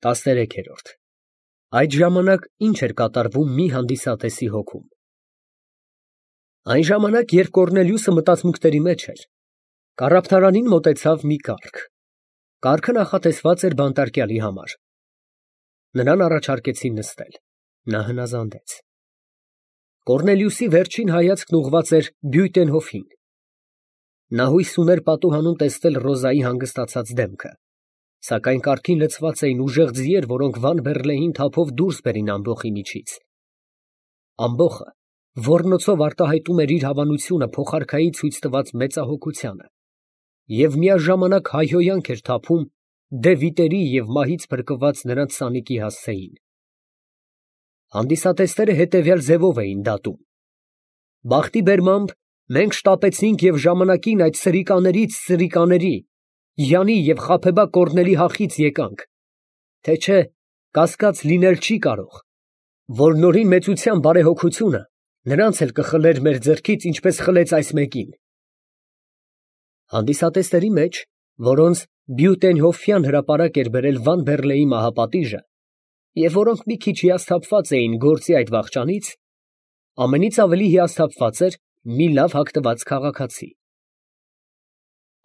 13-րդ Այդ ժամանակ ինչ էր կատարվում մի հանդիսատեսի հոգում։ Այն ժամանակ, երբ Կոռնելիուսը մտածմունքների մեջ էր, կառափթարանին մոտեցավ մի կառք։ Կառքը նախատեսված էր բանտարկյալի համար։ Նրան առաջարկեցին նստել։ Նա հնազանդեց։ Կոռնելիուսի վերջին հայացքն ուղղված էր Բյուտենհոֆին։ Նա հույս ուներ պատուհանում տեսնել Ռոզայի հանգստացած դեմքը, սակայն կառքին լցված էին ուժեղ ձիեր, որոնք Վան Բեռլեին թափով դուրս բերին ամբոխի միջից։ Ամբոխը ոռնոցով արտահայտում էր իր հավանությունը փոխարքայի ցույց տված մեծահոգությանը և միաժամանակ հայհոյանք էր թափում դե վիտերի և մահից փրկված նրանց սանիկի հասցեին։ Հանդիսատեսները հետևյալ ձևով էին դատում. բախտի բերմամբ մենք շտապեցինք և ժամանակին այդ սրիկաներից սրիկաների, Յանի և խաբեբա Կոռնելի հախից եկանք, թե չէ կասկած լինել չի կարող, որ նորի մեծության բարեհոգությունը նրանց էլ կխլեր մեր ձեռքից, ինչպես խլեց այս մեկին։ Հանդիսատեսների մեջ, որոնց Բյուտենհոֆյան հրապարակ էր բերել Վան Բեռլեի մահապատիժը, և որոնք մի քիչ հիասթափված էին գործի այդ վախճանից, ամենից ավելի հիասթափված էր մի լավ հագնված քաղաքացի։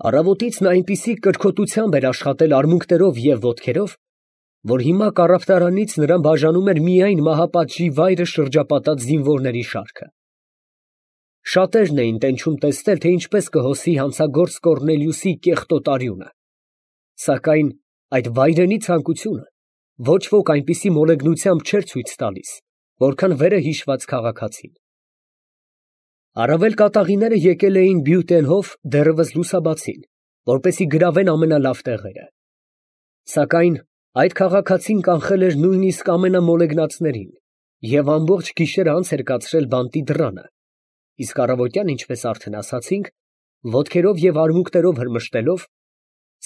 Առավոտից նա այնպիսի կրքոտությամբ էր աշխատել արմունկներով և ոտքերով, որ հիմա կառափթարանից նրան բաժանում էր միայն մահապատժի վայրը շրջապատած զինվորների շարքը։ Շատերն էին տենչում տեսնել, թե ինչպես կհոսի հանցագործ Կոռնելիուսի կեղտոտ արյունը, սակայն այդ վայրենի ցանկությունը ոչ ոք այնպիսի մոլեգնությամբ չէր ցույց տալիս, որքան վերը հիշված քաղաքացին։ Առավել կատաղիները եկել էին Բյուտենհոֆ դեռևս լուսաբացին, որպեսզի գրավեն ամենալավ տեղերը։ Սակայն այդ քաղաքացին կանխել էր նույնիսկ ամենամոլեգնածներին և ամբողջ գիշերը անց էր կացրել բանտի դռանը, իսկ առավոտյան, ինչպես արդեն ասացինք, ոտքերով և արմունկներով հրմշտելով,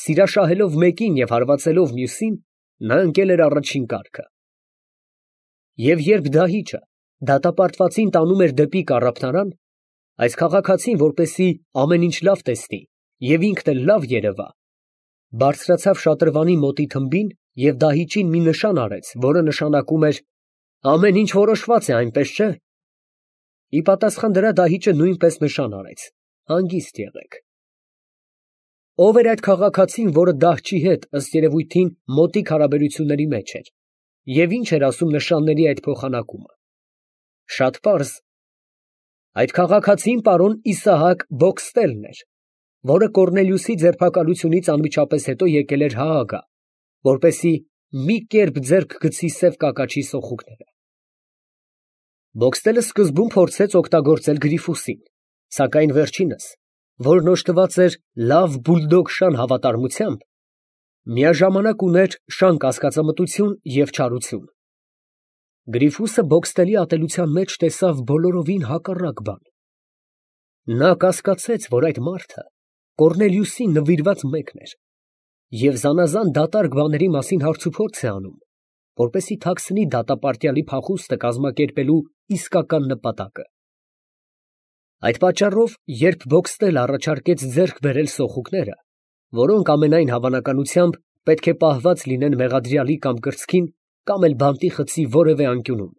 սիրաշահելով մեկին և հարվածելով մյուսին, նա ընկել էր առաջին կառքը։ Եվ երբ դահիճը դատապարտվածին տանում էր դեպի կառափթարան, այս քաղաքացին, որպեսզի ամեն ինչ լավ տեսնի և ինքն էլ լավ երևա, բարձրացավ շատրվանի մոտի թմբին և դահիճին մի նշան արեց, որը նշանակում էր «Ամեն ինչ որոշված է, այնպես չէ»։ Ի պատասխան դրա դահիճը նույնպես նշան արեց. «Հանգիստ եղեք»։ Ո՞վ էր այդ քաղաքացին, որը դահչի հետ, ըստ երևույթին, մոտիկ հարաբերությունների մեջ էր, և ի՞նչ էր ասում նշանների այդ փոխանակումը։ Շատ պարզ. այդ քաղաքացին պարոն Իսահակ Բոքստելն էր, որը Կոռնելիուսի ձերբակալությունից անմիջապես հետո եկել էր Հաագա, որպեսզի մի կերպ ձեռք գցի սև կակաչի սոխուկները։ Բոքստելը սկզբում փորձեց օգտագործել Գրիֆուսին, սակայն վերջինս, որն օժտված էր լավ բուլդոգշան հավատարմությամբ, միաժամանակ ուներ շան կասկածամտություն և չարություն։ Գրիֆուսը Բոքստելի ատելության մեջ տեսավ բոլորովին հակառակ բան։ Նա կասկածեց, որ այդ մարդը Կոռնելիուսին նվիրված մեկն էր և զանազան դատարկ բաների մասին հարցուփորձ է անում, որպեսզի թաքցնի դատապարտյալի փախուստը կազմակերպելու իսկական նպատակը։ Այդ պատճառով, երբ Բոքստելը առաջարկեց ձեռք բերել սոխուկները, որոնք ամենայն հավանականությամբ պետք է պահված լինեն մեղադրյալի կամ կրծքին կամ էլ բանտի խցի որևէ անկյունում,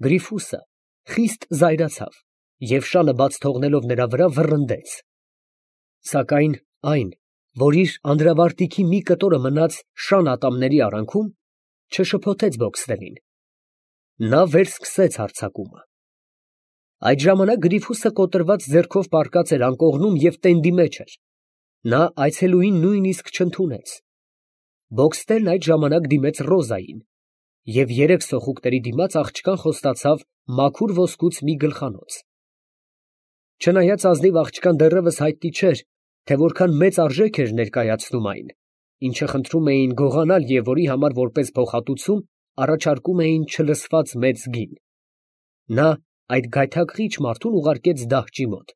Գրիֆուսը խիստ զայրացավ և շանը բաց թողնելով նրա վրա վռնդեց։ Սակայն այն, որ իր անդրավարտիքի մի կտորը մնաց շան ատամների արանքում, չշփոթեց Բոքստելին։ Նա վերսկսեց հարձակումը։ Այդ ժամանակ Գրիֆուսը կոտրված ձեռքով պառկած էր անկողնում և տենդի մեջ էր։ Նա այցելուին նույնիսկ չընդունեց։ Բոքստելն այդ ժամանակ դիմեց Ռոզային և երեք սոխուկների դիմաց աղջկան խոստացավ մաքուր ոսկուց մի գլխանոց։ Չնայած ազնիվ աղջկան դեռևս հայտնի չէր, թե որքան մեծ արժեք էր ներկայացնում այն, ինչը խնդրում էին գողանալ և որի համար որպես փոխհատուցում առաջարկում էին չլսված մեծ գին, նա այդ գայթակղիչ մարդուն ուղարկեց դահճի մոտ,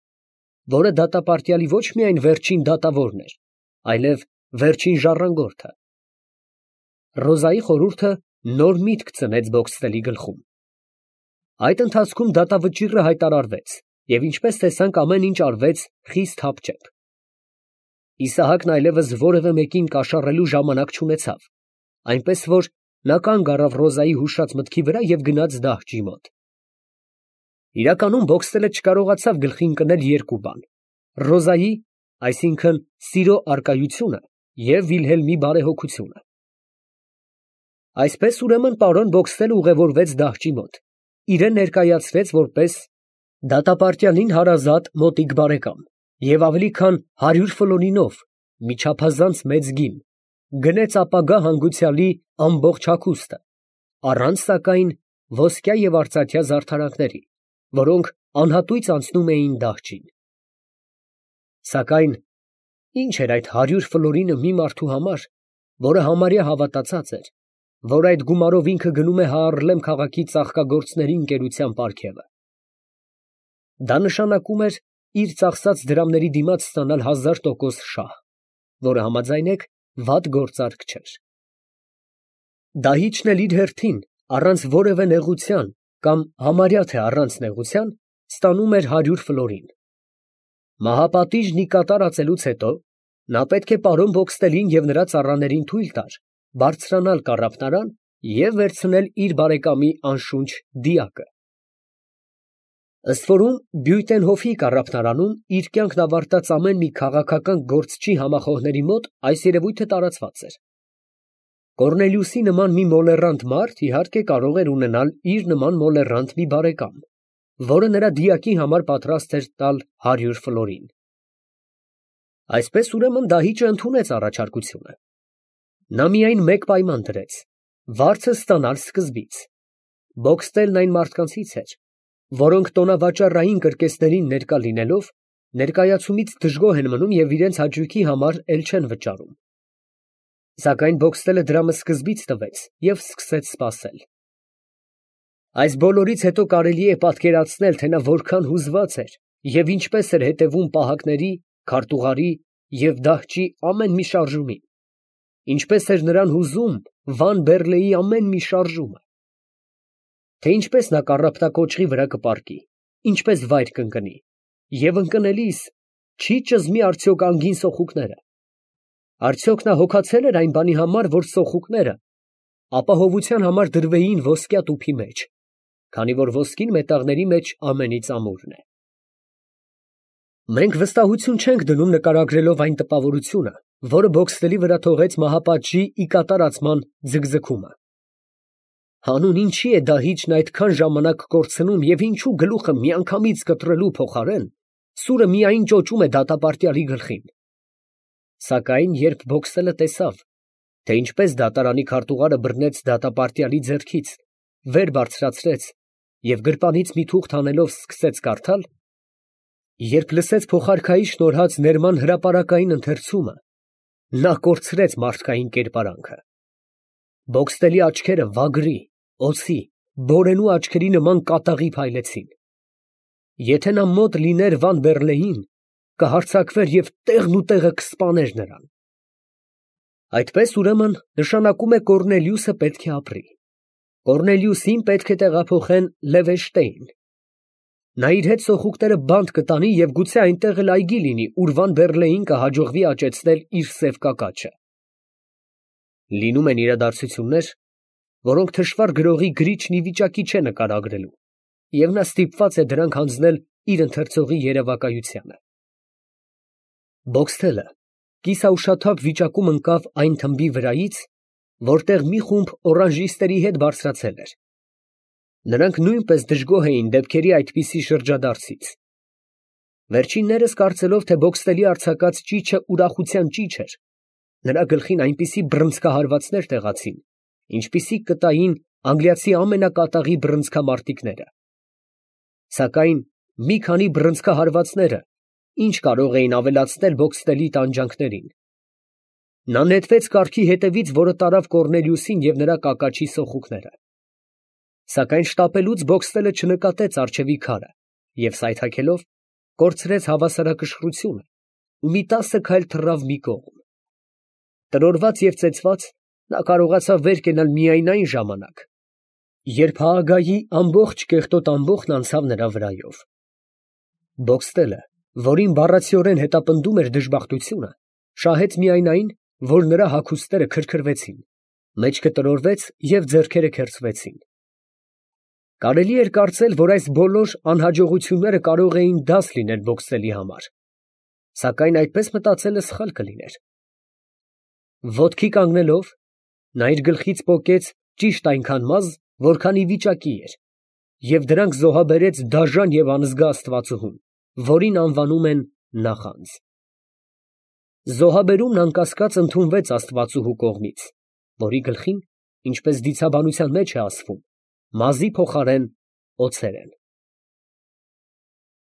որը դատապարտյալի ոչ միայն վերջին դատավորն էր, այլև վերջին ժառանգորդը։ Ռոզայի խորհուրդը նոր միտք ծնեց Բոքստելի գլխում։ Այդ ընթացքում դատավճիռը հայտարարվեց, և ինչպես տեսանք, ամեն ինչ արվեց խիստ հապճեպ։ Իսահակն այլևս որևէ մեկին կաշառելու ժամանակ չունեցավ, այնպես որ նա կանգ առավ Ռոզայի հուշած մտքի վրա և գնաց դահջի մոտ։ Իրականում Բոքստելը չկարողացավ գլխին ընկնել երկու բան. Ռոզայի, այսինքն սիրո առկայությունը և Վիլհելմի բարեհոգությունը։ Այսպես ուրեմն պարոն Բոքստելը ուղևորվեց դահջի մոտ, իրեն ներկայացրեց որպես դատապարտյալին հարազատ մոտիկ բարեկամ և ավելի քան 100 ֆլորինով մի չափազանց մեծ գին, գնեց ապագա հանգուցյալի ամբողջ հագուստը, առանց սակայն ոսկյա և արծաթյա զարդարանքների, որոնք անհատույց անցնում էին դահջին։ Սակայն ինչ էր այդ 100 ֆլորինը մի մարդու համար, որը համարյա հավատացած էր, որ այդ գումարով ինքը գնում է Հաառլեմ քաղաքի ծաղկագործների ընկերության պարգևը։ Դա նշանակում էր իր ծախսած դրամների դիմաց ստանալ 1000% շահ, որը համաձայնեք վատ գործարք չէր։ Դահիճն էլ իր հերթին, առանց որևէ նեղության կամ համարյա թե առանց նեղության, ստանում էր 100 ֆլորին։ Մահապատիժն ի կատար ածելուց հետո նա պետք է պարոն Բոքստելին և նրա ծառաներին թույլ տար բարձրանալ կառափնարան և վերցնել իր բարեկամի անշունչ դիակը։ Ըստ որում Բյուտենհոֆի կառափնարանում իր կյանքն ավարտած ամեն մի քաղաքական գործչի համախոհների մոտ այս երևույթը տարածված էր։ Կոռնելիուսի նման մի մոլեռանդ մարդ իհարկե կարող էր ունենալ իր նման մոլեռանդ մի բարեկամ, որը նրա դիակի համար պատրաստ էր տալ 100 ֆլորին։ Այսպես ուրեմն դահիճը ընդունեց առաջարկությունը։ Նա միայն մեկ պայման դրեց. վարձը ստանալ սկզբից։ Բոքստելն այն մարդկանցից էր, որոնք տոնավաճառային կրկեսներին ներկա լինելով, ներկայացումից դժգոհ են մնում և իրենց հաճույքի համար էլ չեն վճարում։ Սակայն Բոքստելը դրամը սկզբից տվեց և սկսեց սպասել։ Այս բոլորից հետո կարելի է պատկերացնել, թե նա որքան հուզված էր և ինչպես էր հետևում պահակների, քարտուղարի և դահջի ամեն մի շարժումին, ինչպես էր նրան հուզում Վան Բեռլեի ամեն մի շարժումը, թե ինչպես նա կառափնակոճղի վրա կպառկի, ինչպես վայր կընկնի, և ընկնելիս չի ճզմի արդյոք անգին սոխուկները, արդյոք նա հոգացել էր այն բանի համար, որ սոխուկները ապահովության համար դրվեին ոսկյա տուփի մեջ, քանի որ ոսկին մետաղների մեջ ամենից ամուրն է։ Մենք վստահություն չենք դնում նկարագրելով այն տպավորությունը, որը Բոքստելի վրա թողեց մահապատժի ի կատարածման ձգձգումը։ Հանուն ինչի է դահիճն այդքան ժամանակ կորցնում և ինչու գլուխը միանգամից կտրելու փոխարեն սուրը միայն ճոճում է դատապարտյալի գլխին։ Սակայն երբ Բոքստելը տեսավ, թե ինչպես դատարանի քարտուղարը բռնեց դատապարտյալի ձեռքից, վեր բարձրացրեց և գրպանից մի թուղթ հանելով սկսեց կարդալ, երբ լսեց փոխարքայի շնորհած ներման հրապարակային ընթերցումը, նա կորցրեց մարդկային կերպարանքը։ Բոքստելի աչքերը վագրի, օձի, բորենու աչքերի նման կատաղի փայլեցին։ Եթե նա մոտ լիներ Վան Բեռլեին, կհարձակվեր և տեղն ու տեղը կսպաներ նրան։ Այդպես ուրեմն նշանակում է Կոռնելիուսը պետք է ապրի։ Կոռնելիուսին պետք է տեղափոխեն Լևենշտեյն։ Նա իր հետ սոխուկները բանտ կտանի և գուցե այնտեղ էլ այգի լինի, ուր Վան Բեռլեին կհաջողվի աճեցնել իր սև կակաչը։ Լինում են իրադարձություններ, որոնք թշվառ գրողի գրիչն ի վիճակի չէ նկարագրելու, և նա ստիպված է դրանք հանձնել իր ընթերցողի երևակայությանը։ Բոքստելը կիսաուշաթափ վիճակում ընկավ այն թմբի վրայից, որտեղ մի խումբ օրանժիստերի հետ բարձրացել էր։ Նրանք նույնպես դժգոհ էին դեպքերի այդպիսի շրջադարձից։ Վերջիններս կարծելով, թե Բոքստելի արձակած ճիչը ուրախության ճիչ էր, նրա գլխին այնպիսի բռնցքահարվածներ տեղացին, ինչպիսիք կտային անգլիացի ամենակատաղի բռնցքամարտիկները։ Սակայն մի քանի բռնցքահարվածները ինչ կարող էին ավելացնել Բոքստելի տանջանքներին։ Նա նետվեց կառքի հետևից, որը տարավ Կոռնելիուսին և նրա կակաչի սոխուկները։ Սակայն շտապելուց Բոքստելը չնկատեց առջևի քարը և սայթաքելով կորցրեց հավասարակշռությունը ու մի 10 քայլ թռավ մի կողմ։ Տրորված և ծեծված նա կարողացավ վեր կենալ միայն այն ժամանակ, երբ Հաագայի ամբողջ կեղտոտ ամբոխն անցավ նրա վրայով։ Բոքստելը, որին բառացիորեն հետապնդում էր դժբախտությունը, շահեց միայն այն, որ նրա հագուստները քրքրվեցին Մեջքը տրորվեց և ձեռքերը քերծվեցին։ Կարելի էր կարծել, որ այս բոլոր անհաջողությունները կարող էին դաս լինել բոքսերի համար, սակայն այդպես մտածելը սխալ կլիներ։ Ոտքի կանգնելով, նա իր գլխից պոկեց ճիշտ այնքան մազ, որքան ի վիճակի էր, և դրանք զոհաբերեց դաժան և անզգա աստվածուհուն, որին անվանում են նախանձ։ Զոհաբերումն անկասկած ընդունվեց աստվածուհու կողմից, որի գլխին, ինչպես դիցաբանության մեջ է ասվում, մազի փոխարեն օձեր են։